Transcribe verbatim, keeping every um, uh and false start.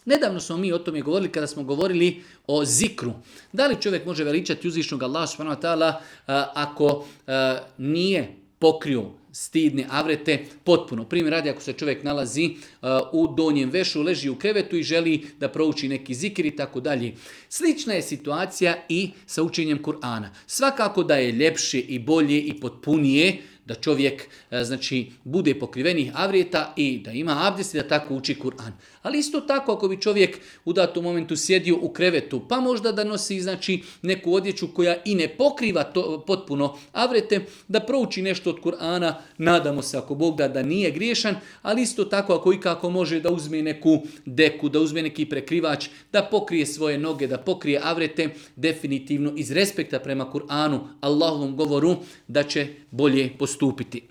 Nedavno smo mi o tome govorili kada smo govorili o zikru. Da li čovjek može veličati uzvišnog Allaha subhanahu wa ta'ala ako a, nije pokrio stidne avrete potpuno. Primjer radi, ako se čovjek nalazi uh, u donjem vešu, leži u krevetu i želi da prouči neki zikir i tako dalje. Slična je situacija i sa učenjem Kur'ana. Svakako da je ljepše i bolje i potpunije da čovjek uh, znači bude pokrivenih avreta i da ima abdest i da tako uči Kur'an. Ali isto tako ako bi čovjek u datom momentu sjedio u krevetu, pa možda da nosi znači neku odjeću koja i ne pokriva to, potpuno avrete, da prouči nešto od Kur'ana, nadamo se ako Bog da da nije griješan, ali isto tako ako i kako može da uzme neku deku, da uzme neki prekrivač, da pokrije svoje noge, da pokrije avrete, definitivno iz respekta prema Kur'anu, Allahovom govoru, da će bolje postupiti.